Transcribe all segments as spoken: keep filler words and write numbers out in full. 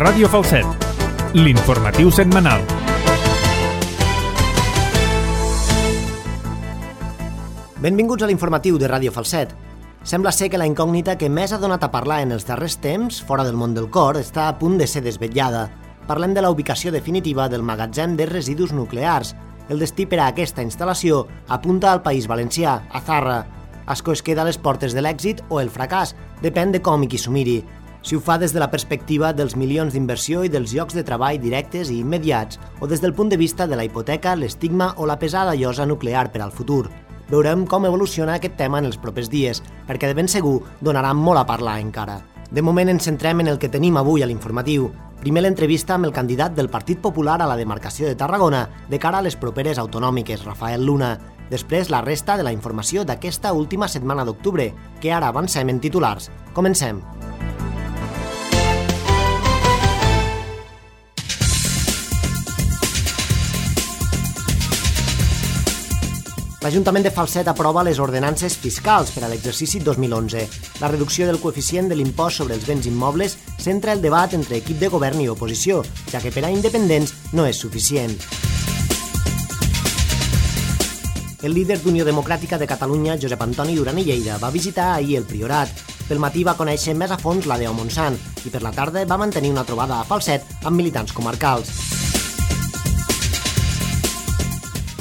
Ràdio Falset, l'informatiu setmanal. Benvinguts a l'informatiu de Ràdio Falset. Sembla ser que la incògnita que més ha donat a parlar en els darrers temps, fora del món del cor, està a punt de ser desvetllada. Parlem de la ubicació definitiva del magatzem de residus nuclears. El destí per a aquesta instal·lació apunta al País Valencià, a Zarra. Ascó es queda a les portes de l'èxit o el fracàs, depèn de com i qui s'ho miri. Si ho fa des de la perspectiva dels milions d'inversió i dels llocs de treball directes i immediats, o des del punt de vista de la hipoteca, l'estigma o la pesada llosa nuclear per al futur. Veurem com evoluciona aquest tema en els propers dies, perquè de ben segur donarà molt a parlar encara. De moment ens centrem en el que tenim avui a l'informatiu. Primer l'entrevista amb el candidat del Partit Popular a la demarcació de Tarragona de cara a les properes autonòmiques, Rafael Luna. Després la resta de la informació d'aquesta última setmana d'octubre, que ara avancem en titulars. Comencem. L'Ajuntament de Falset aprova les ordenances fiscals per a l'exercici dos mil onze. La reducció del coeficient de l'impost sobre els béns immobles centra el debat entre equip de govern i oposició, ja que per a independents no és suficient. El líder d'Unió Democràtica de Catalunya, Josep Antoni Duran i Lleida, va visitar ahir el Priorat. Pel matí va conèixer més a fons la Deo Montsant i per la tarda va mantenir una trobada a Falset amb militants comarcals.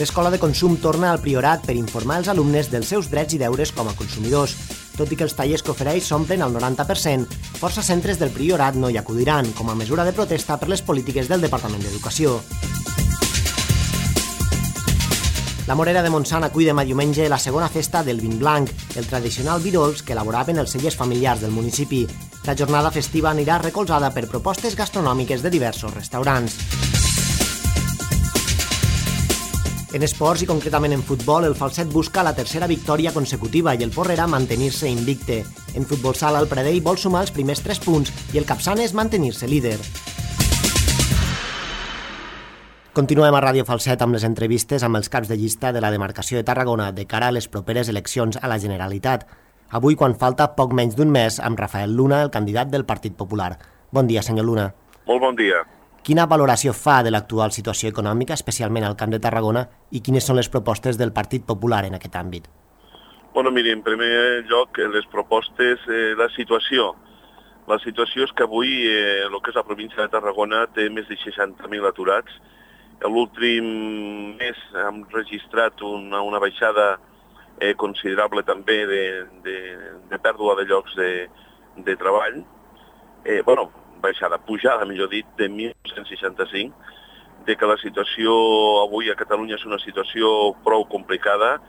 L'Escola de Consum torna al Priorat per informar els alumnes dels seus drets i deures com a consumidors. Tot i que els tallers que ofereix s'omplen al noranta per cent, força centres del Priorat no hi acudiran, com a mesura de protesta per les polítiques del Departament d'Educació. La Morera de Montsant acull demà diumenge la segona festa del vin blanc, el tradicional vi dolç que elaboraven els cellers familiars del municipi. La jornada festiva anirà recolzada per propostes gastronòmiques de diversos restaurants. En esports i concretament en futbol, el Falset busca la tercera victòria consecutiva i el Porrera mantenir-se invicte. En futbol sala, el Pradell vol sumar els primers tres punts i el Capçanes mantenir-se líder. Continuem a Ràdio Falset amb les entrevistes amb els caps de llista de la demarcació de Tarragona de cara a les properes eleccions a la Generalitat. Avui, quan falta poc menys d'un mes, amb Rafael Luna, el candidat del Partit Popular. Bon dia, senyor Luna. Molt bon dia. Quina valoració fa de l'actual situació econòmica, especialment al Camp de Tarragona, i quines són les propostes del Partit Popular en aquest àmbit? Bueno, miri, en primer lloc, les propostes, eh, la situació. La situació és que avui eh, el que és la província de Tarragona té més de seixanta mil aturats. L'últim mes hem registrat una, una baixada eh, considerable també de, de, de pèrdua de llocs de, de treball. Eh, bueno, baixada, pujada, millor dit, de mil cent seixanta-cinc, de que la situació avui a Catalunya és una situació prou complicada.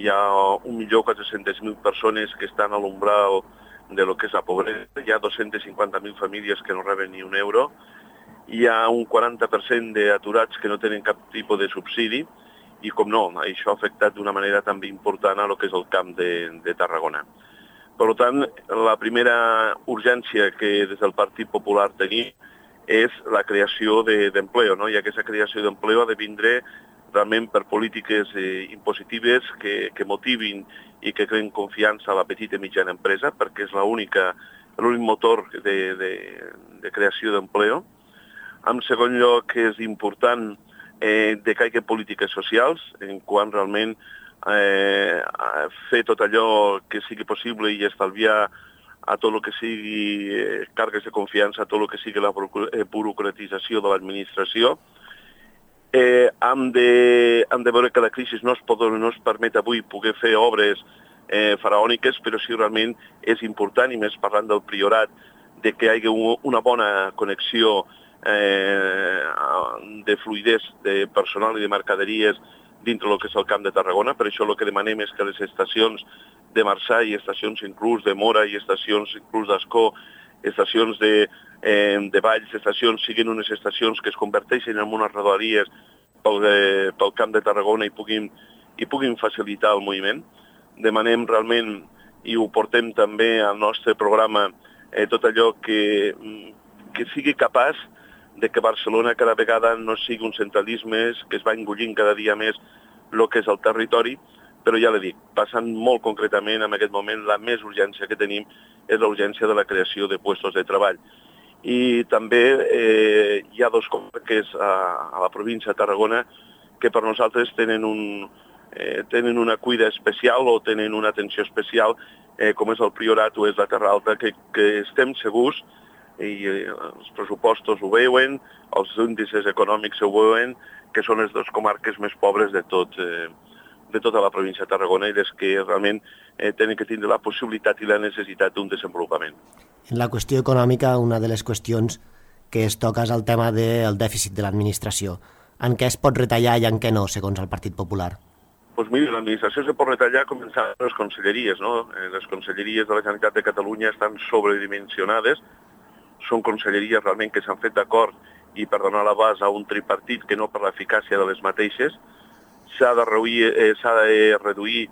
Hi ha un milió quatre-cents mil persones que estan a l'umbral de lo que és la pobresa, hi ha dos-cents cinquanta mil famílies que no reben ni un euro, hi ha un quaranta per cent d'aturats que no tenen cap tipus de subsidi i, com no, això ha afectat d'una manera també important a lo que és el camp de, de Tarragona. Per tant, la primera urgència que des del Partit Popular tenim és la creació d'empleo, no? I aquesta creació d'empleo ha de vindre realment per polítiques eh, impositives que, que motivin i que creen confiança a la petita i mitjana empresa, perquè és l'únic motor de, de, de creació d'empleo. En segon lloc, és important eh, de que hi hagi polítiques socials, en quant realment Eh, fer tot allò que sigui possible i estalviar a tot el que sigui eh, càrregues de confiança, a tot el que sigui la burocratització de l'administració. Eh, hem, de, hem de veure que la crisi no es, pot, no es permet avui poder fer obres eh, faraòniques, però sí realment és important, i més parlant del Priorat, de que hi hagi una bona connexió eh, de fluidesa de personal i de mercaderies dintre del que és el Camp de Tarragona. Per això el que demanem és que les estacions de Marçà i estacions inclús de Mora i estacions inclús d'Ascó, estacions de, eh, de Valls, estacions siguin unes estacions que es converteixin en unes rodalies pel, eh, pel Camp de Tarragona i puguin, i puguin facilitar el moviment. Demanem realment, i ho portem també al nostre programa, eh, tot allò que, que sigui capaç de que Barcelona cada vegada no sigui un centralisme, que es va engollint cada dia més el que és el territori, però ja l'he dit, passant molt concretament en aquest moment, la més urgència que tenim és la urgència de la creació de llocs de treball. i també eh, hi ha dos comarques a, a la província de Tarragona que per nosaltres tenen, un, eh, tenen una cuida especial o tenen una atenció especial, eh, com és el Priorat o és la Terra Alta, que, que estem segurs, i eh, els pressupostos ho veuen, els índices econòmics ho veuen, que són les dues comarques més pobres de tot, eh, de tota la província de Tarragona i les que realment eh, tenen que tindre la possibilitat i la necessitat d'un desenvolupament. En la qüestió econòmica, una de les qüestions que es toca és el tema del dèficit de l'administració. En què es pot retallar i en què no, segons el Partit Popular? Doncs mira, l'administració se pot retallar començant amb les conselleries, no? Les conselleries de la Generalitat de Catalunya estan sobredimensionades, són conselleries realment que s'han fet d'acord i per donar la base a un tripartit que no per l'eficàcia de les mateixes. S'ha de reduir, eh, s'ha de reduir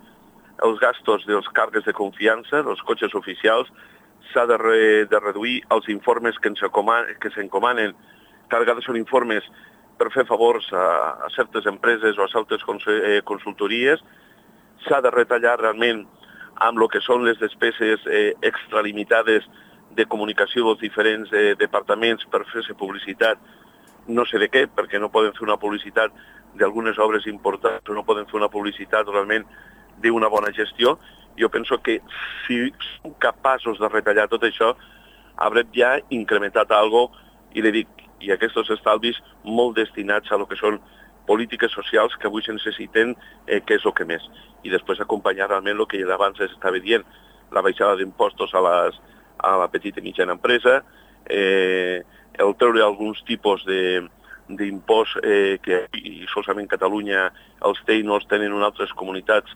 els gastos dels càrrecs de confiança, dels cotxes oficials, s'ha de, re, de reduir els informes que s'encomanen, que a vegades són informes per fer favors a, a certes empreses o a certes consultories. S'ha de retallar realment amb el que són les despeses eh, extralimitades de comunicació dels diferents eh, departaments per fer-se publicitat, no sé de què, perquè no poden fer una publicitat d'algunes obres importants, no poden fer una publicitat realment d'una bona gestió. Jo penso que si som capaços de retallar tot això, haurem ja incrementat alguna cosa, i li dic, i aquests estalvis molt destinats a lo que són polítiques socials que avui se necessiten, eh, que és el que més. I després acompanyar realment el que abans s'estava dient, la baixada d'impostos a, les, a la petita i mitjana empresa, eh, el treure alguns tipus de d'impost eh, que i solament Catalunya els té i no els tenen en altres comunitats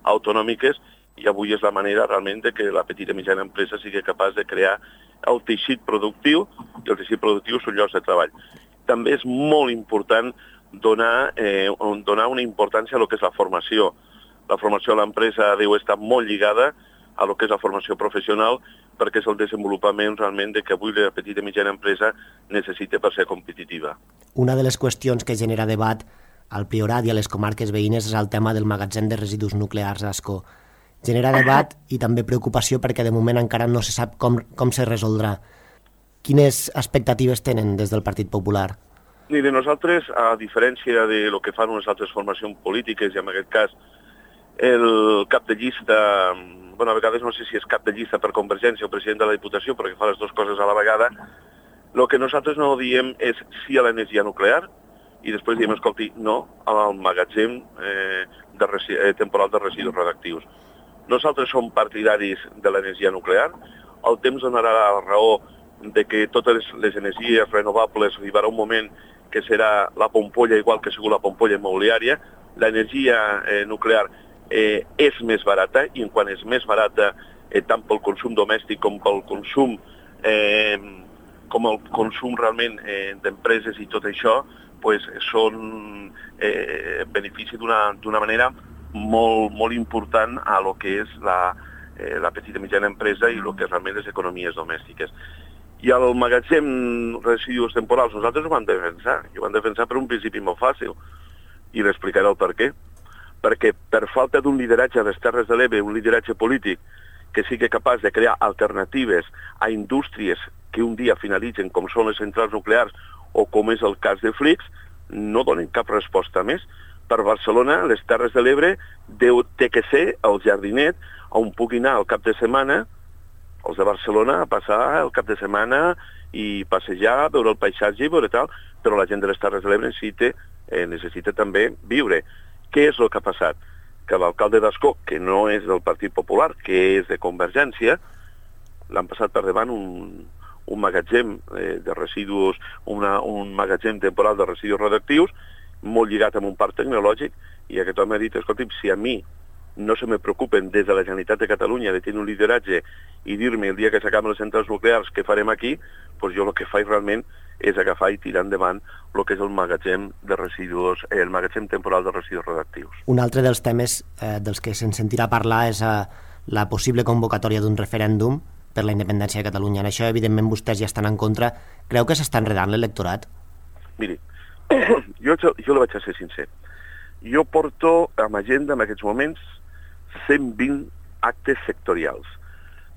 autonòmiques, i avui és la manera realment de que la petita i mitjana empresa sigui capaç de crear el teixit productiu, i el teixit productiu són llocs de treball. També és molt important donar, eh, donar una importància a lo que és la formació. La formació a l'empresa deu estar molt lligada a lo que és la formació professional, perquè és el desenvolupament realment de que avui la petita i mitjana empresa necessita per ser competitiva. Una de les qüestions que genera debat al Priorat i a les comarques veïnes és el tema del magatzem de residus nuclears a Ascó. Genera debat i també preocupació perquè de moment encara no se sap com, com se resoldrà. Quines expectatives tenen des del Partit Popular? Mire, nosaltres, a diferència de lo que fan unes altres formacions polítiques, i en aquest cas el cap de llista, bueno, a vegades no sé si és cap de llista per Convergència o president de la Diputació, perquè fa les dues coses a la vegada, el que nosaltres no diem és sí a l'energia nuclear, i després diem, escolti, no al magatzem eh, de resi eh, temporal de residus radioactius. Nosaltres som partidaris de l'energia nuclear, el temps donarà la raó de que totes les energies renovables arribarà un moment que serà la pompolla igual que ha sigut la pompolla immobiliària. L'energia eh, nuclear eh, és més barata, i en quan és més barata eh, tant pel consum domèstic com pel consum eh, com el consum realment eh, d'empreses i tot això, pues, són eh, benefici d'una d'una manera molt, molt important a lo que és la, eh, la petita i mitjana empresa i lo que realment les economies domèstiques. I al magatzem residus temporals nosaltres ho vam defensar, i ho vam defensar per un principi molt fàcil, i l'explicaré el per què. Perquè per falta d'un lideratge a les Terres de l'Ebre, un lideratge polític que sigui capaç de crear alternatives a indústries que un dia finalitzen, com són les centrals nuclears o com és el cas de Flix, no donen cap resposta més. Per Barcelona, les Terres de l'Ebre té que ser el jardinet on pugui anar el cap de setmana, els de Barcelona, a passar el cap de setmana i passejar, veure el paisatge i veure tal, però la gent de les Terres de l'Ebre necessita, eh, necessita també viure. Què és el que ha passat? Que l'alcalde d'Ascó, que no és del Partit Popular, que és de Convergència, l'han passat per davant un, un magatzem eh, de residus, una, un magatzem temporal de residus radioactius, molt lligat amb un parc tecnològic, i aquest home ha dit, escolti'm, si a mi no se me preocupen des de la Generalitat de Catalunya de tenir un lideratge i dir-me el dia que s'acaben les centrals nuclears què farem aquí, doncs jo el que faig realment és agafar i tirar endavant el que és el magatzem de residus, eh, el magatzem temporal de residus radioactius. Un altre dels temes eh, dels que se'n sentirà parlar és eh, la possible convocatòria d'un referèndum per la independència de Catalunya. En això, evidentment, vostès ja estan en contra. Creu que s'està enredant l'electorat? Miri, jo, jo la vaig a ser sincer. Jo porto amb agenda en aquests moments cent vint actes sectorials.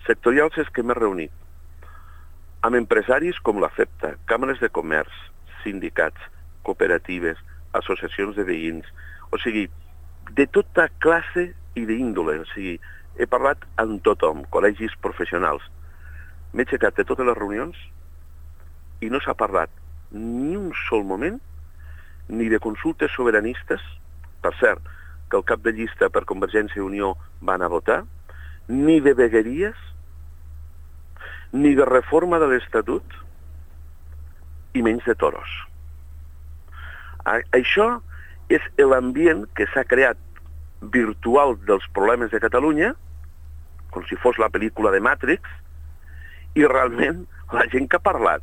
Sectorials és que m'he reunit amb empresaris com la FEPTA, càmeres de comerç, sindicats, cooperatives, associacions de veïns, o sigui, de tota classe i d'índole, o sigui, he parlat amb tothom, col·legis professionals. M'he aixecat de totes les reunions i no s'ha parlat ni un sol moment ni de consultes sobiranistes, per cert, que el cap de llista per Convergència i Unió van a votar, ni de vegueries, ni de reforma de l'Estatut, i menys de toros. A- això és l'ambient que s'ha creat virtual dels problemes de Catalunya, com si fos la pel·lícula de Matrix, i realment la gent que ha parlat,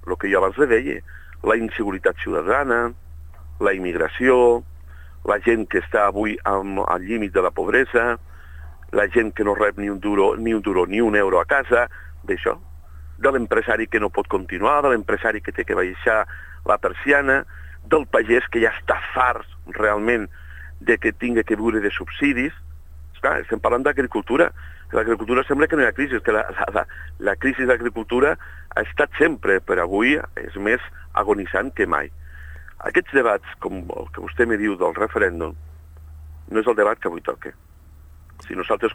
el que jo abans li deia, la inseguretat ciutadana, la immigració, la gent que està avui al, al límit de la pobresa, la gent que no rep ni un duro ni un, duro, ni un euro a casa, d'això, de l'empresari que no pot continuar, de l'empresari que té que baixar la persiana, del pagès que ja està fart realment de que tinga que viure de subsidis. Esclar, estem parlant d'agricultura. L'agricultura sembla que no hi ha crisi, que la, la, la, la crisi d'agricultura ha estat sempre, però avui és més agonitzant que mai. Aquests debats, com el que vostè me diu del referèndum, no és el debat que avui toca. Si nosaltres,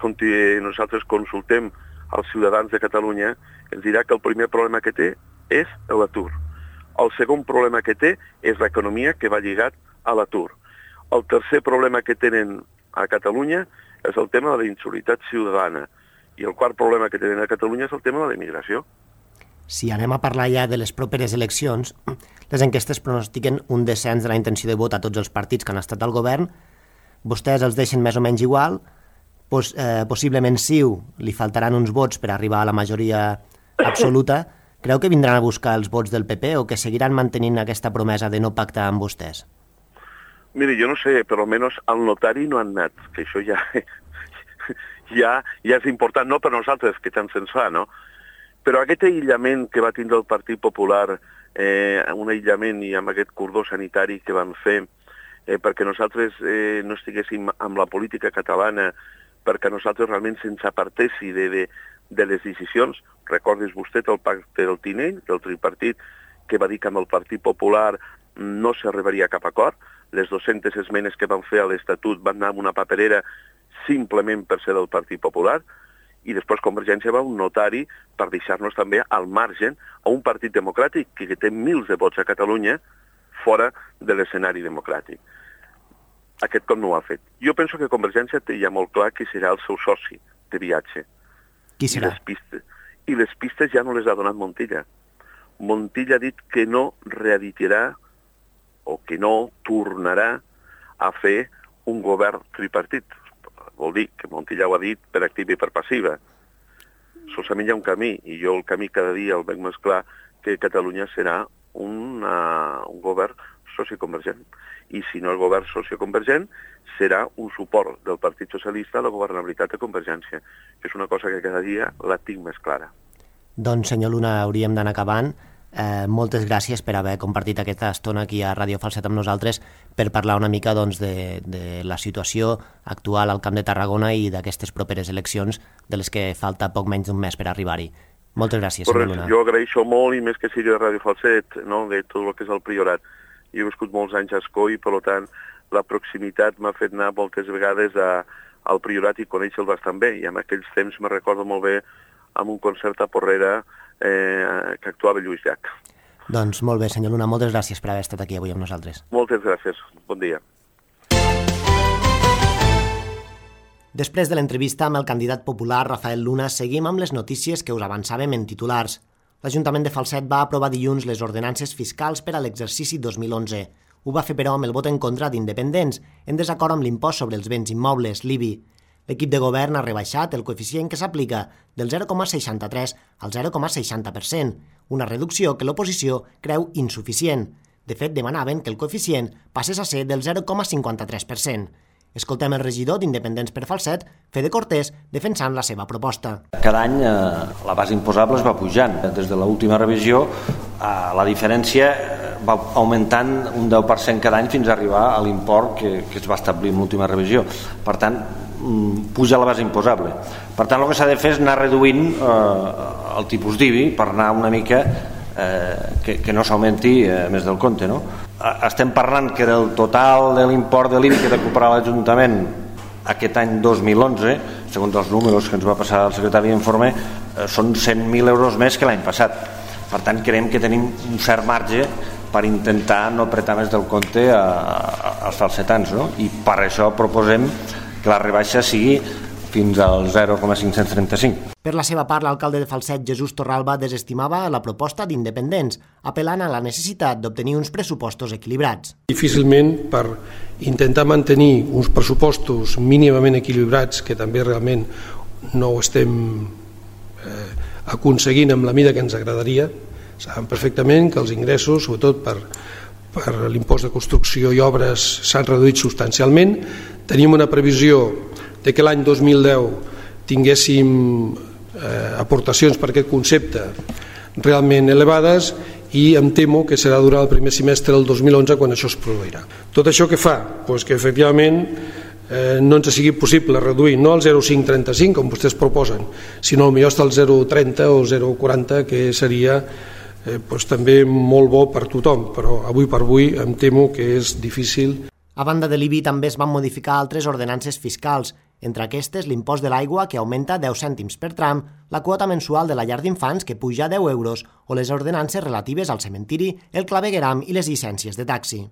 nosaltres consultem als ciutadans de Catalunya, ens dirà que el primer problema que té és l'atur. El segon problema que té és l'economia que va lligat a l'atur. El tercer problema que tenen a Catalunya és el tema de la inseguretat ciutadana. I el quart problema que tenen a Catalunya és el tema de la immigració. Si anem a parlar ja de les properes eleccions, les enquestes pronostiquen un descens de la intenció de vot a tots els partits que han estat al govern. Vostès els deixen més o menys igual. Pos, eh, possiblement Ciu li faltaran uns vots per arribar a la majoria absoluta. Creu que vindran a buscar els vots del P P o que seguiran mantenint aquesta promesa de no pactar amb vostès? Mire, jo no sé, però almenys al notari no han anat, que això ja, ja, ja és important, no per nosaltres, que tant se'ns fa, no? Però aquest aïllament que va tindre el Partit Popular, eh, un aïllament i amb aquest cordó sanitari que van fer, eh, perquè nosaltres eh, no estiguéssim amb la política catalana, perquè nosaltres realment se'ns apartessi de, de, de les decisions. Recordis vostè el pacte del Tinell, del tripartit, que va dir que amb el Partit Popular no s'arribaria a cap acord. Les dues-centes esmenes que van fer a l'Estatut van anar amb una paperera simplement per ser del Partit Popular, i després Convergència va un notari per deixar-nos també al marge a un partit democràtic que té mils de vots a Catalunya fora de l'escenari democràtic. Aquest cop no ho ha fet. Jo penso que Convergència té ja molt clar qui serà el seu soci de viatge. Qui serà? I les pistes, i les pistes ja no les ha donat Montilla. Montilla ha dit que no reeditarà o que no tornarà a fer un govern tripartit. Vol dir que Montilla ho ha dit per activa i per passiva. Solament hi ha un camí, i jo el camí cada dia el veig més clar, que Catalunya serà una, un govern socioconvergent. I si no el govern socioconvergent, serà un suport del Partit Socialista a la governabilitat de Convergència. És una cosa que cada dia la tinc més clara. Doncs, senyor Luna, hauríem d'anar acabant. Eh, moltes gràcies per haver compartit aquesta estona aquí a Ràdio Falset amb nosaltres per parlar una mica doncs, de, de la situació actual al Camp de Tarragona i d'aquestes properes eleccions de les que falta poc menys d'un mes per arribar-hi. Moltes gràcies, senyor Luna. Jo agraeixo molt, i més que sigui de Ràdio Falset, no? De tot el que és el Priorat. Jo he viscut molts anys a Escó i, per tant, la proximitat m'ha fet anar moltes vegades a, al Priorat i conèixer-lo bastant bé. I en aquells temps me recordo molt bé amb un concert a Porrera eh, que actuava Lluís Llach. Doncs molt bé, senyor Luna, moltes gràcies per haver estat aquí avui amb nosaltres. Moltes gràcies. Bon dia. Després de l'entrevista amb el candidat popular Rafael Luna, seguim amb les notícies que us avançàvem en titulars. L'Ajuntament de Falset va aprovar dilluns les ordenances fiscals per a l'exercici dos mil onze. Ho va fer, però, amb el vot en contra d'independents, en desacord amb l'impost sobre els béns immobles, l'I B I. L'equip de govern ha rebaixat el coeficient que s'aplica del zero coma seixanta-tres al zero coma seixanta per cent, una reducció que l'oposició creu insuficient. De fet, demanaven que el coeficient passés a ser del zero coma cinquanta-tres per cent. Escoltem el regidor d'Independents per Falset, Fede Cortés, defensant la seva proposta. Cada any eh, la base imposable es va pujant. Des de l'última revisió eh, la diferència va augmentant un deu per cent cada any fins a arribar a l'import que, que es va establir en l'última revisió. Per tant, puja la base imposable. Per tant, el que s'ha de fer és anar reduint eh, el tipus d'I B I per anar una mica eh, que, que no s'augmenti eh, més del compte, no? Estem parlant que del total de l'import de l'I B I que recupera l'Ajuntament aquest any dos mil onze, segons els números que ens va passar el secretari d'informe, eh, són cent mil euros més que l'any passat. Per tant, creiem que tenim un cert marge per intentar no apretar més del compte a, a, als falsetans, no? I per això proposem que la rebaixa sigui fins al zero coma cinc-cents trenta-cinc. Per la seva part, l'alcalde de Falset, Jesús Torralba, desestimava la proposta d'independents, apel·lant a la necessitat d'obtenir uns pressupostos equilibrats. Difícilment, per intentar mantenir uns pressupostos mínimament equilibrats, que també realment no ho estem eh, aconseguint amb la mida que ens agradaria, saben perfectament que els ingressos, sobretot per, per l'impost de construcció i obres, s'han reduït substancialment. Tenim una previsió de que l'any dos mil deu tinguéssim eh, aportacions per aquest concepte realment elevades i em temo que serà durant el primer semestre del dos mil onze quan això es produirà. Tot això què fa? Pues que efectivament eh, no ens sigui possible reduir no el zero coma cinc trenta-cinc com vostès proposen, sinó potser hasta el zero coma trenta o zero coma quaranta, que seria eh, pues, també molt bo per tothom, però avui per avui em temo que és difícil. A banda de l'I B I també es van modificar altres ordenances fiscals, entre aquestes l'impost de l'aigua que augmenta deu cèntims per tram, la quota mensual de la llar d'infants que puja a deu euros o les ordenances relatives al cementiri, el clavegueram i les llicències de taxi.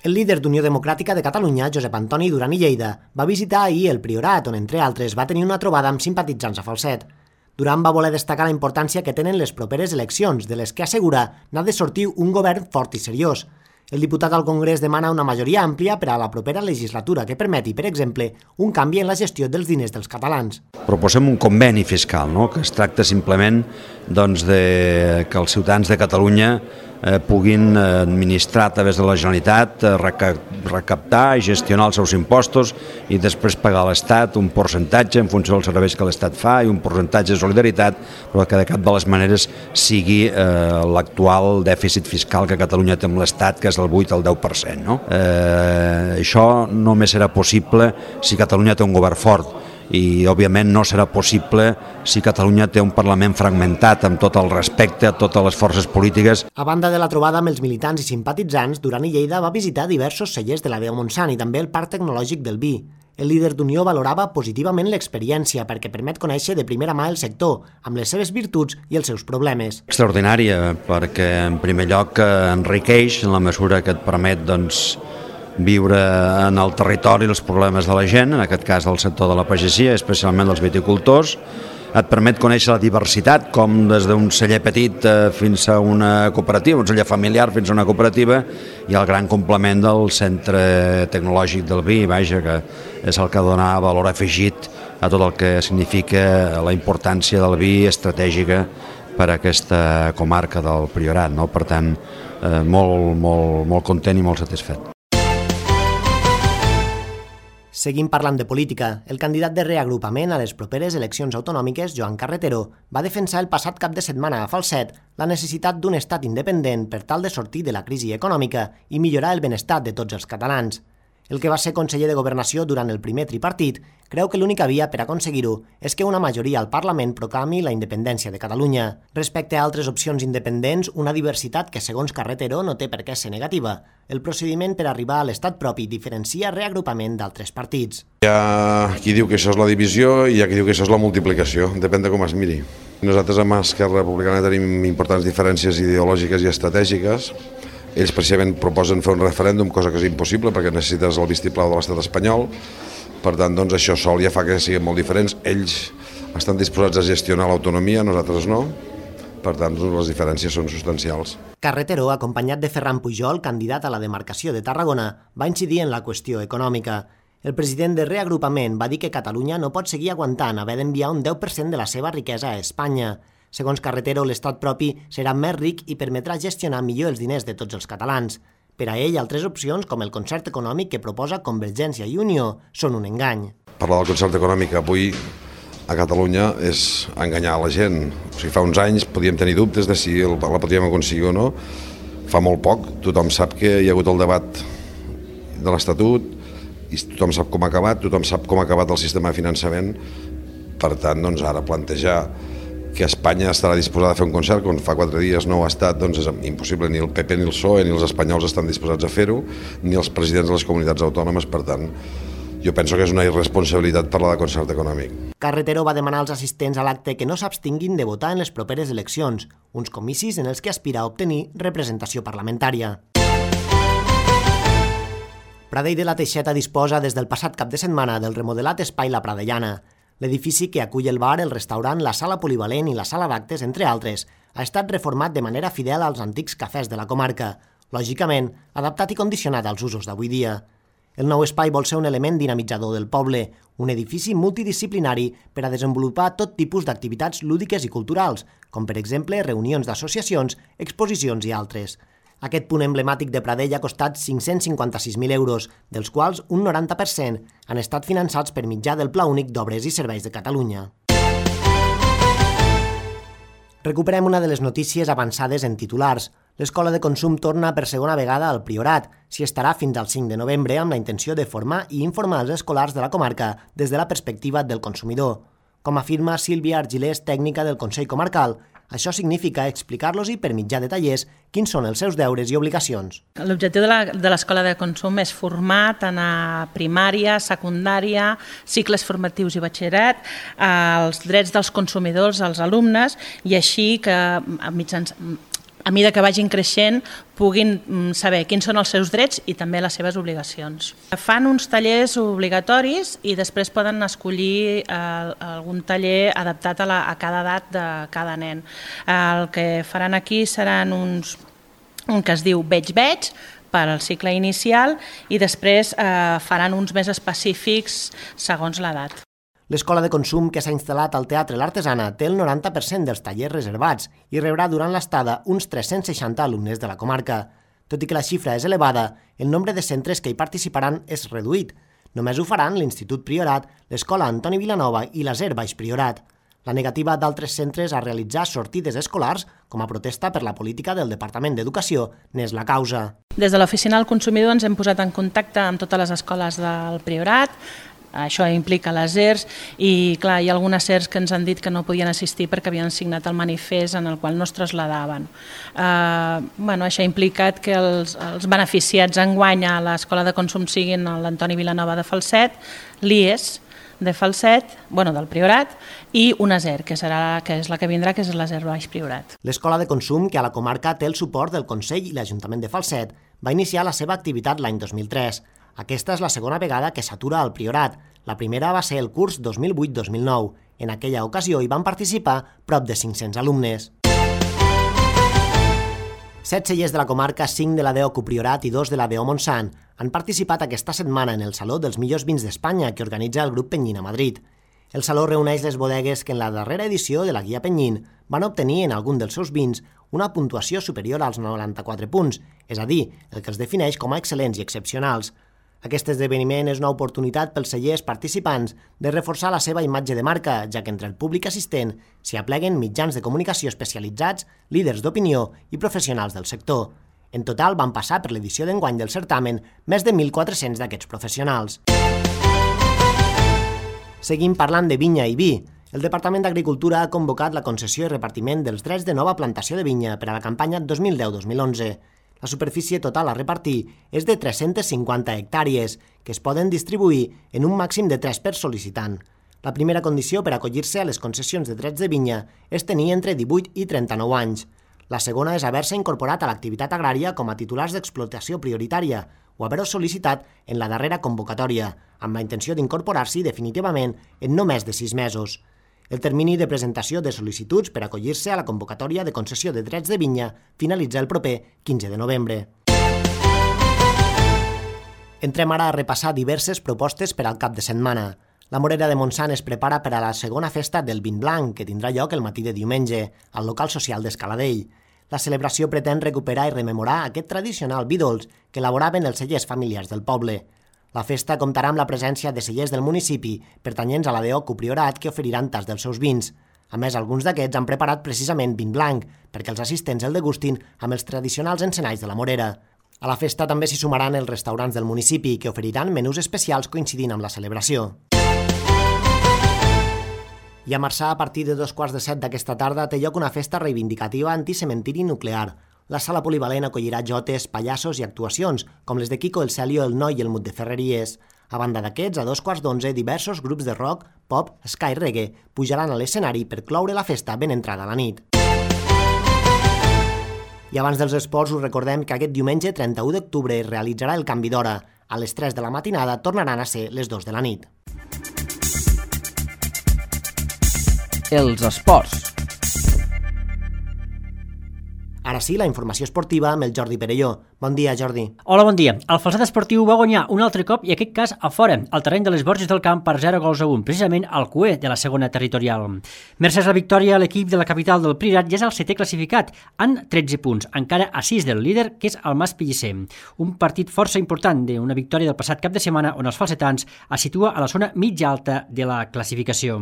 El líder d'Unió Democràtica de Catalunya, Josep Antoni Duran i Lleida, va visitar ahir el Priorat, on entre altres va tenir una trobada amb simpatitzants a Falset. Duran va voler destacar la importància que tenen les properes eleccions, de les que assegura n'ha de sortir un govern fort i seriós. El diputat al Congrés demana una majoria àmplia per a la propera legislatura que permeti, per exemple, un canvi en la gestió dels diners dels catalans. Proposem un conveni fiscal, no? Que es tracta simplement doncs, de que els ciutadans de Catalunya eh, puguin administrar a través de la Generalitat, eh, recaptar i gestionar els seus impostos i després pagar a l'Estat un percentatge en funció dels serveis que l'Estat fa i un percentatge de solidaritat, però que de cap de les maneres sigui eh, l'actual dèficit fiscal que Catalunya té amb l'Estat, que és el vuit al deu per cent. No? Eh, això només serà possible si Catalunya té un govern fort i, òbviament, no serà possible si Catalunya té un Parlament fragmentat amb tot el respecte a totes les forces polítiques. A banda de la trobada amb els militants i simpatitzants, Duran i Lleida va visitar diversos cellers de la Deu Montsant i també el Parc Tecnològic del Vi. El líder d'Unió valorava positivament l'experiència perquè permet conèixer de primera mà el sector, amb les seves virtuts i els seus problemes. Extraordinària, perquè en primer lloc enriqueix en la mesura que et permet doncs, viure en el territori els problemes de la gent, en aquest cas del sector de la pagesia, especialment dels viticultors. Et permet conèixer la diversitat, com des d'un celler petit fins a una cooperativa, un celler familiar fins a una cooperativa, i el gran complement del centre tecnològic del vi, vaja, que és el que dona valor afegit a tot el que significa la importància del vi estratègica per a aquesta comarca del Priorat. No? Per tant, eh, molt, molt, molt content i molt satisfet. Seguim parlant de política. El candidat de reagrupament a les properes eleccions autonòmiques, Joan Carretero, va defensar el passat cap de setmana a Falset la necessitat d'un estat independent per tal de sortir de la crisi econòmica i millorar el benestar de tots els catalans. El que va ser conseller de Governació durant el primer tripartit creu que l'única via per aconseguir-ho és que una majoria al Parlament proclami la independència de Catalunya. Respecte a altres opcions independents, una diversitat que, segons Carretero, no té per què ser negativa. El procediment per arribar a l'estat propi diferencia reagrupament d'altres partits. Hi ha qui diu que això és la divisió i hi ha qui diu que això és la multiplicació, depèn de com es miri. Nosaltres amb Esquerra Republicana tenim importants diferències ideològiques i estratègiques. Ells precisament proposen fer un referèndum, cosa que és impossible perquè necessites el vistiplau de l'estat espanyol. Per tant, doncs, això sol ja fa que siguin molt diferents. Ells estan disposats a gestionar l'autonomia, nosaltres no. Per tant, les diferències són substancials. Carretero, acompanyat de Ferran Pujol, candidat a la demarcació de Tarragona, va incidir en la qüestió econòmica. El president de Reagrupament va dir que Catalunya no pot seguir aguantant haver d'enviar un deu per cent de la seva riquesa a Espanya. Segons Carretero, l'estat propi serà més ric i permetrà gestionar millor els diners de tots els catalans. Per a ell, altres opcions, com el concert econòmic que proposa Convergència i Unió, són un engany. Parlar del concert econòmic avui a Catalunya és enganyar la gent. O sigui, fa uns anys podíem tenir dubtes de si la podíem aconseguir o no. Fa molt poc, tothom sap que hi ha hagut el debat de l'Estatut i tothom sap com ha acabat, tothom sap com ha acabat el sistema de finançament. Per tant, doncs, ara plantejar que Espanya estarà disposada a fer un concert quan fa quatre dies no ho ha estat, doncs és impossible. Ni el P P ni el P S O E ni els espanyols estan disposats a fer-ho, ni els presidents de les comunitats autònomes. Per tant, jo penso que és una irresponsabilitat parlar de concert econòmic. Carretero va demanar als assistents a l'acte que no s'abstinguin de votar en les properes eleccions, uns comicis en els que aspira a obtenir representació parlamentària. Pradell de la Teixeta disposa des del passat cap de setmana del remodelat espai La Pradellana. L'edifici que acull el bar, el restaurant, la sala polivalent i la sala d'actes, entre altres, ha estat reformat de manera fidel als antics cafès de la comarca, lògicament adaptat i condicionat als usos d'avui dia. El nou espai vol ser un element dinamitzador del poble, un edifici multidisciplinari per a desenvolupar tot tipus d'activitats lúdiques i culturals, com per exemple reunions d'associacions, exposicions i altres. Aquest punt emblemàtic de Pradell ha costat cinc-cents cinquanta-sis mil euros, dels quals un noranta per cent han estat finançats per mitjà del Pla Únic d'Obres i Serveis de Catalunya. Recuperem una de les notícies avançades en titulars. L'Escola de Consum torna per segona vegada al Priorat. S'hi estarà fins al cinc de novembre amb la intenció de formar i informar els escolars de la comarca des de la perspectiva del consumidor. Com afirma Sílvia Argilés, tècnica del Consell Comarcal, això significa explicar-los i per mitjà de tallers quins són els seus deures i obligacions. L'objectiu de l'Escola de Consum és formar tant a primària, secundària, cicles formatius i batxillerat, els drets dels consumidors, als alumnes, i així que a mitjans... a mesura que vagin creixent, puguin saber quins són els seus drets i també les seves obligacions. Fan uns tallers obligatoris i després poden escollir algun taller adaptat a, la, a cada edat de cada nen. El que faran aquí seran uns, un que es diu Veig-Veig, per al cicle inicial, i després eh, faran uns més específics segons l'edat. L'Escola de Consum, que s'ha instal·lat al Teatre L'Artesana, té el noranta per cent dels tallers reservats i rebrà durant l'estada uns tres-cents seixanta alumnes de la comarca. Tot i que la xifra és elevada, el nombre de centres que hi participaran és reduït. Només ho faran l'Institut Priorat, l'Escola Antoni Vilanova i l'Aser Baix Priorat. La negativa d'altres centres a realitzar sortides escolars, com a protesta per la política del Departament d'Educació, n'és la causa. Des de l'Oficina del Consumidor ens hem posat en contacte amb totes les escoles del Priorat. Això implica les E R S i, clar, hi ha algunes E R S que ens han dit que no podien assistir perquè havien signat el manifest en el qual no es traslladaven. Eh, bueno, això ha implicat que els, els beneficiats enguany a l'Escola de Consum siguin l'Antoni Vilanova de Falset, l'I E S de Falset, bueno, del Priorat, i una E R, que, serà, que és la que vindrà, que és l'Aser Baix Priorat. L'Escola de Consum, que a la comarca té el suport del Consell i l'Ajuntament de Falset, va iniciar la seva activitat l'any dos mil tres. Aquesta és la segona vegada que s'atura al Priorat. La primera va ser el curs dos mil vuit dos mil nou. En aquella ocasió hi van participar prop de cinc-cents alumnes. Set cellers de la comarca, cinc de la D O Copriorat i dos de la D O Montsant han participat aquesta setmana en el Saló dels millors vins d'Espanya que organitza el grup Penyín a Madrid. El saló reuneix les bodegues que en la darrera edició de la Guia Penyín van obtenir en algun dels seus vins una puntuació superior als noranta-quatre punts, és a dir, el que els defineix com a excel·lents i excepcionals. Aquest esdeveniment és una oportunitat pels cellers participants de reforçar la seva imatge de marca, ja que entre el públic assistent s'hi apleguen mitjans de comunicació especialitzats, líders d'opinió i professionals del sector. En total van passar per l'edició d'enguany del certamen més de mil quatre-cents d'aquests professionals. Seguim parlant de vinya i vi. El Departament d'Agricultura ha convocat la concessió i repartiment dels drets de nova plantació de vinya per a la campanya dos mil deu dos mil onze. La superfície total a repartir és de tres-centes cinquanta hectàrees, que es poden distribuir en un màxim de tres per sol·licitant. La primera condició per acollir-se a les concessions de drets de vinya és tenir entre divuit i trenta-nou anys. La segona és haver-se incorporat a l'activitat agrària com a titulars d'explotació prioritària o haver-ho sol·licitat en la darrera convocatòria, amb la intenció d'incorporar-s'hi definitivament en no més de sis mesos. El termini de presentació de sol·licituds per acollir-se a la convocatòria de concessió de drets de vinya finalitza el proper quinze de novembre. Entrem ara a repassar diverses propostes per al cap de setmana. La Morera de Montsant es prepara per a la segona festa del vin blanc, que tindrà lloc el matí de diumenge, al local social d'Escaladell. La celebració pretén recuperar i rememorar aquest tradicional vi dolç que elaboraven els cellers familiars del poble. La festa comptarà amb la presència de cellers del municipi pertanyents a la D O Copriorat que oferiran tas dels seus vins. A més, alguns d'aquests han preparat precisament vin blanc perquè els assistents el degustin amb els tradicionals encenalls de la Morera. A la festa també s'hi sumaran els restaurants del municipi, que oferiran menús especials coincidint amb la celebració. I a Marçà, a partir de dos quarts de set d'aquesta tarda, té lloc una festa reivindicativa anticementiri nuclear. La sala polivalent acollirà jotes, pallassos i actuacions, com les de Kiko el Celio, el Noi i el Mut de Ferreries. A banda d'aquests, a dos quarts d'onze, diversos grups de rock, pop, ska i reggae pujaran a l'escenari per cloure la festa ben entrada a la nit. I abans dels esports us recordem que aquest diumenge trenta-u d'octubre es realitzarà el canvi d'hora. A les tres de la matinada tornaran a ser les dos de la nit. Els esports. Ara sí, la informació esportiva amb el Jordi Perelló. Bon dia, Jordi. Hola, bon dia. El Falset Esportiu va guanyar un altre cop, i aquest cas a fora, al terreny de les Borges del Camp per zero gols a un, precisament al Q E de la segona territorial. Mercès la victòria, l'equip de la capital del Priorat ja és el setè classificat, amb tretze punts, encara a sis del líder, que és el Mas Pellicer. Un partit força important d'una victòria del passat cap de setmana on els falsetans es situa a la zona mitja alta de la classificació.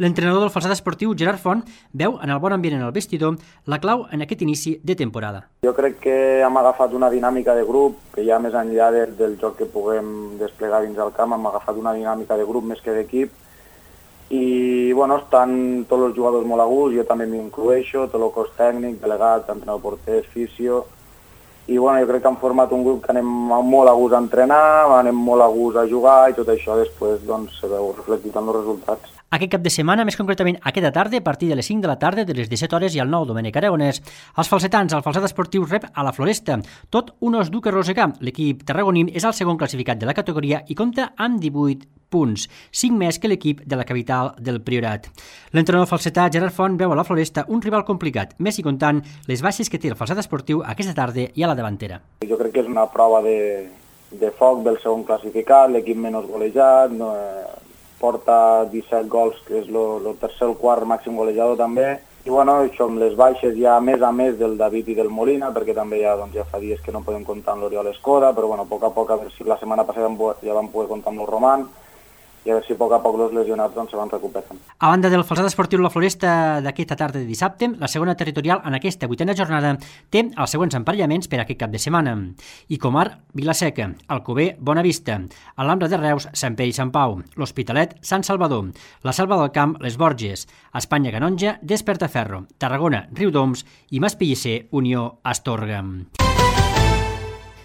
L'entrenador del Falset Esportiu, Gerard Font, veu en el bon ambient en el vestidor la clau en aquest inici de temporada. Jo crec que hem agafat una dinàmica de grup, que ja més enllà del, del joc que puguem desplegar dins del camp, hem agafat una dinàmica de grup més que d'equip, i bueno, estan tots els jugadors molt a gust, jo també m'incloeixo, tot el cos tècnic, delegat, entrenador porter, fisio, i bueno, jo crec que hem format un grup que anem molt a gust a entrenar, anem molt a gust a jugar, i tot això després doncs, se veu reflectit en els resultats. Aquest cap de setmana, més concretament aquesta tarda, a partir de les cinc de la tarda, de les disset hores i al nou Domènec Aragonès, els falsetans, el Falset Esportiu rep a la Floresta, tot un os dur que rosegar. L'equip tarragoní és el segon classificat de la categoria i compta amb divuit punts, cinc més que l'equip de la capital del Priorat. L'entrenador falsetà Gerard Font veu a la Floresta un rival complicat, més i comptant les baixes que té el Falset Esportiu aquesta tarda i a la davantera. Jo crec que és una prova de, de foc del segon classificat, l'equip menys golejat, no, porta disset gols, que és el tercer o quart màxim golejador també, i bueno, això amb les baixes ja més a més del David i del Molina, perquè també ja, doncs, ja fa dies que no podem comptar amb l'Oriol Escoda, però bueno, a poc a poc, a veure si la setmana passada ja vam poder comptar amb el Roman, i a veure si a poc a poc els lesionats doncs, se van recuperant. A banda del Falset Esportiu La Floresta d'aquesta tarda de dissabte, la segona territorial en aquesta vuitena jornada té els següents emparellaments per aquest cap de setmana. Icomar, Vilaseca, Alcover, Bonavista, Alhambra de Reus, Sant Pere i Sant Pau, l'Hospitalet, Sant Salvador, la Selva del Camp, les Borges, Espanya Canonja, Despertaferro, Tarragona, Riudoms i Mas Pellicer, Unió Astorga.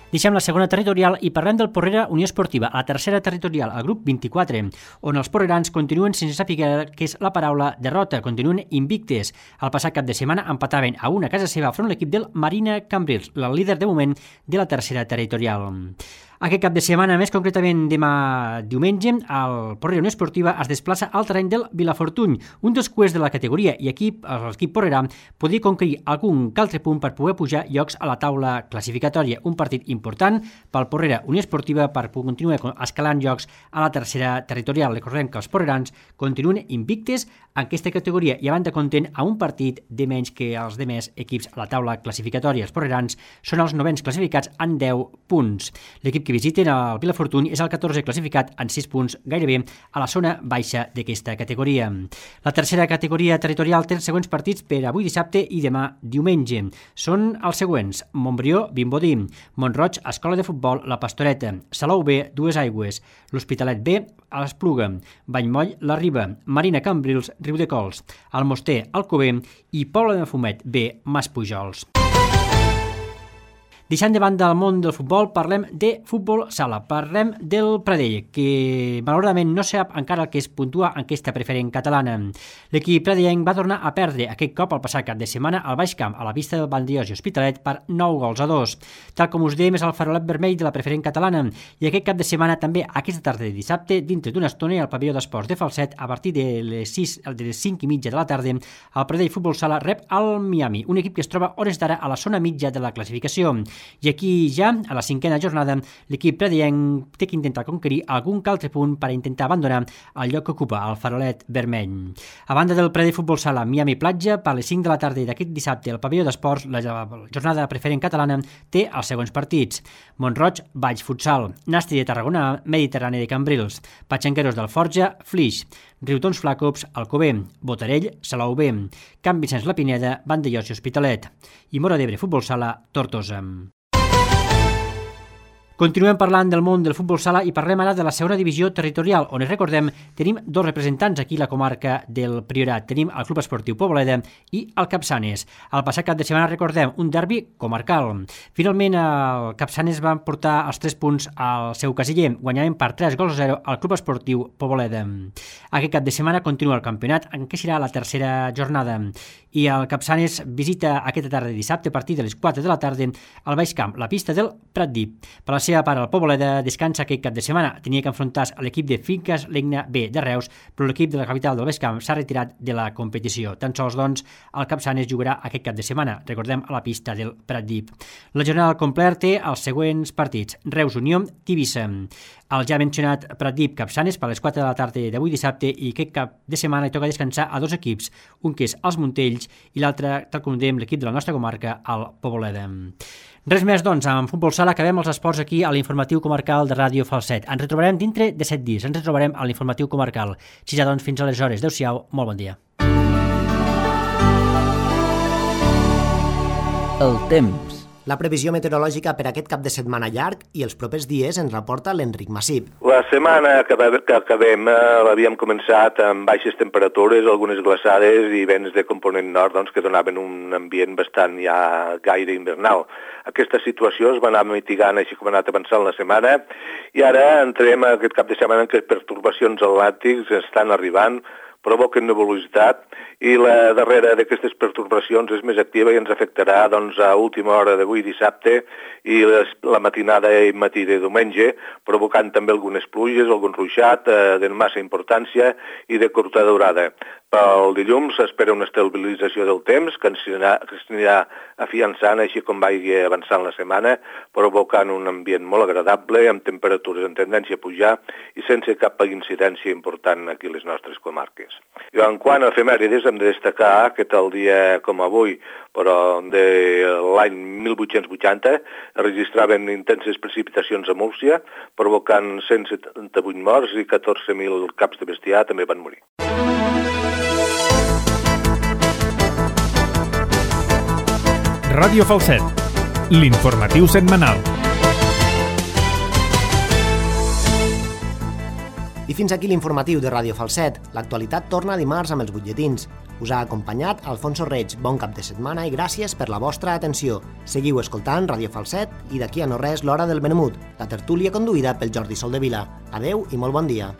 Deixem la segona territorial i parlem del Porrera Unió Esportiva, a la tercera territorial, al grup vint-i-quatre, on els porrerans continuen sense saber què és la paraula derrota, continuen invictes. El passat cap de setmana empataven a una casa seva front l'equip del Marina Cambrils, el líder de moment de la tercera territorial. Aquest cap de setmana, més concretament demà diumenge, el Porrera Unió Esportiva es desplaça al terreny del Vilafortuny, un dels cuers de la categoria, i aquí l'equip porrerà podia conquerir algun altre punt per poder pujar llocs a la taula classificatòria. Un partit important pel Porrera Unió Esportiva per continuar escalant llocs a la tercera territorial. Recordem que els porrerans continuen invictes en aquesta categoria i van de content a un partit de menys que els demés equips a la taula classificatòria. Els porrerans són els novens classificats amb deu punts. L'equip que visiten el Vilafortuny és el catorzè classificat en sis punts, gairebé a la zona baixa d'aquesta categoria. La tercera categoria territorial té els següents partits per avui dissabte i demà diumenge. Són els següents: Montbrió, Vimbodí, Montroig, Escola de Futbol, La Pastoreta, Salou B, Dues Aigües, l'Hospitalet B, a l'Espluga, Vallmoll, La Riba, Marina Cambrils, Riudecols, Almoster, Alcover i Pobla de Mafumet B, Maspujols. Deixant de banda el món del futbol, parlem de futbol sala, parlem del Pradell, que malauradament no sap encara el que es puntua en aquesta preferent catalana. L'equip pradellenc va tornar a perdre aquest cop el passat cap de setmana al Baix Camp, a la vista del Vandellós i Hospitalet, per nou gols a dos. Tal com us dèiem, és el farolet vermell de la preferent catalana, i aquest cap de setmana també, aquesta tarda de dissabte, dintre d'una estona al pavelló d'esports de Falset, a partir de les, sis, de les cinc i mitja de la tarda, el Pradell Futbol Sala rep al Miami, un equip que es troba hores d'ara a la zona mitja de la classificació. I aquí ja, a la cinquena jornada, l'equip pradellenc té que intentar conquerir algun altre punt per intentar abandonar el lloc que ocupa el farolet vermell. A banda del Pradell Futbol Sala Miami Platja, per les cinc de la tarda d'aquest dissabte al pavelló d'esports, la jornada preferent catalana té els següents partits: Montroig, Valls Futsal, Nastri de Tarragona, Mediterrani de Cambrils, Patxanqueros d'Alforja, Flix, Riutons Flacops, Alcover, Botarell, Salou B, Camp Vicenç la Pineda, Vandellós i Hospitalet, i Móra d'Ebre Futbol Sala, Tortosa. Continuem parlant del món del futbol sala i parlem ara de la segona divisió territorial, on, recordem, tenim dos representants aquí a la comarca del Priorat. Tenim el Club Esportiu Poboleda i el Capçanes. El passat cap de setmana, recordem, un derbi comarcal. Finalment, el Capçanes va portar els tres punts al seu casiller, guanyaven per tres gols a zero al Club Esportiu Poboleda. Aquest cap de setmana continua el campionat, en què serà la tercera jornada. I el Capçanes visita aquesta tarda de dissabte a partir de les quatre de la tarda al Baix Camp, la pista del Pratdip. Per la seva part, el Poboleda descansa aquest cap de setmana. Tenia que enfrontar-se a l'equip de Finques Legna B de Reus, però l'equip de la capital del Baix Camp s'ha retirat de la competició. Tan sols, doncs, el Capçanes jugarà aquest cap de setmana, recordem, a la pista del Pratdip. La jornada al complet té els següents partits. Reus Unió, Tivissa. El ja mencionat Pratdip Capçanes per les quatre de la tarda d'avui dissabte, i aquest cap de setmana hi toca descansar a dos equips, un que és els Montells i l'altre, tal com dèiem, l'equip de la nostra comarca, el Poboleda. Res més, doncs, amb futbol sala acabem els esports aquí a l'informatiu comarcal de Ràdio Falset. Ens retrobarem dintre de set dies, ens retrobarem a l'informatiu comarcal. Si ja, doncs, fins aleshores. Adéu-siau, molt bon dia. El temps. La previsió meteorològica per aquest cap de setmana llarg i els propers dies ens reporta l'Enric Massip. La setmana que acabem eh, l'havíem començat amb baixes temperatures, algunes glaçades i vents de component nord, doncs, que donaven un ambient bastant ja gaire invernal. Aquesta situació es va anar mitigant així com ha anat avançant la setmana, i ara entrem a aquest cap de setmana en què pertorbacions atlàntics estan arribant, provoquen nebulositat, i la darrera d'aquestes pertorbacions és més activa i ens afectarà, doncs, a última hora d'avui dissabte i les, la matinada i matí de diumenge, provocant també algunes pluges, algun ruixat eh, de massa importància i de curta durada. Pel dilluns s'espera una estabilització del temps que ens anirà, que ens anirà afiançant així com vagi avançant la setmana, provocant un ambient molt agradable, amb temperatures en tendència a pujar i sense cap incidència important aquí a les nostres comarques. I en quant a efemèrides, hem de destacar que tal dia com avui, però de l'any mil vuit-cents vuitanta, es registraven intenses precipitacions a Múrcia, provocant cent setanta-vuit morts i catorze mil caps de bestiar també van morir. Ràdio Falset, l'informatiu setmanal. I fins aquí l'informatiu de Ràdio Falset. L'actualitat torna dimarts amb els butlletins. Us ha acompanyat Alfonso Reig. Bon cap de setmana i gràcies per la vostra atenció. Seguiu escoltant Ràdio Falset i d'aquí a no res l'hora del Benemut, la tertúlia conduïda pel Jordi Soldevila. Adeu i molt bon dia.